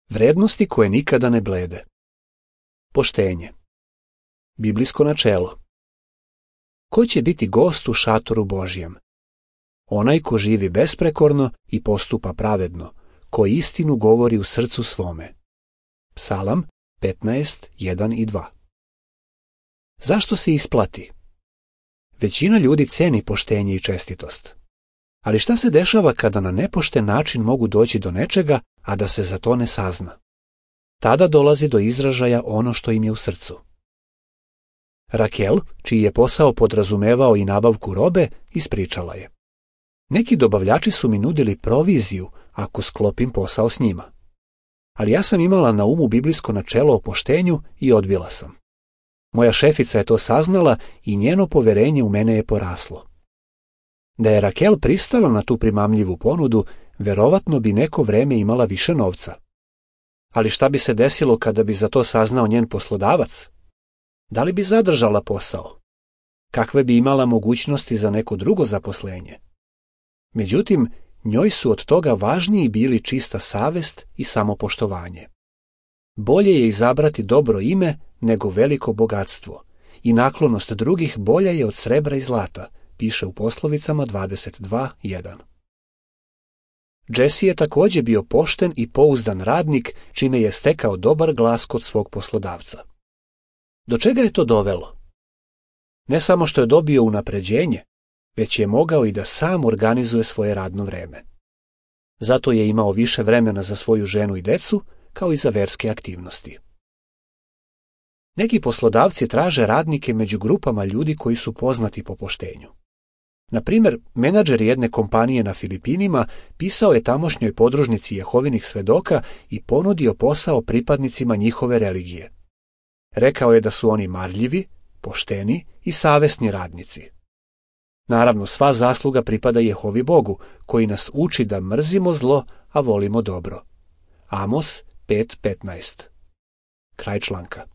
Vrednosti koje nikada ne blede. Poštenje. Biblijsko načelo. Ko će biti gost u šatoru Božjem? Onaj ko živi besprekorno i postupa pravedno, ko istinu govori u srcu svome. Psalam 15:1 i 2. Zašto se isplati? Većina ljudi ceni poštenje i čestitost. Ali šta se dešava kada na nepošten način mogu doći do nečega, a da se za to ne sazna? Tada dolazi do izražaja ono što im je u srcu. Rakel, čiji je posao podrazumevao i nabavku robe, ispričala je: neki dobavljači su mi nudili proviziju ako sklopim posao s njima. Ali ja sam imala na umu biblijsko načelo o poštenju i odbila sam. Moja šefica je to saznala i njeno poverenje u mene je poraslo. Da je Rakel pristala na tu primamljivu ponudu, verovatno bi neko vreme imala više novca. Ali šta bi se desilo kada bi za to saznao njen poslodavac? Da li bi zadržala posao? Kakve bi imala mogućnosti za neko drugo zaposlenje? Međutim, njoj su od toga važniji bili čista savest i samopoštovanje. Bolje je izabrati dobro ime nego veliko bogatstvo, i naklonost drugih bolja je od srebra i zlata, piše u Poslovicama 22:1. Jesse je također bio pošten i pouzdan radnik, čime je stekao dobar glas kod svog poslodavca. Do čega je to dovelo? Ne samo što je dobio unapređenje, već je mogao i da sam organizuje svoje radno vreme. Zato je imao više vremena za svoju ženu i decu, kao i za verske aktivnosti. Neki poslodavci traže radnike među grupama ljudi koji su poznati po poštenju. Na primjer, menadžer jedne kompanije na Filipinima pisao je tamošnjoj podružnici Jehovinih svedoka i ponudio posao pripadnicima njihove religije. Rekao je da su oni marljivi, pošteni i savesni radnici. Naravno, sva zasluga pripada Jehovi Bogu, koji nas uči da mrzimo zlo, a volimo dobro. Amos 5:15. Kraj članka.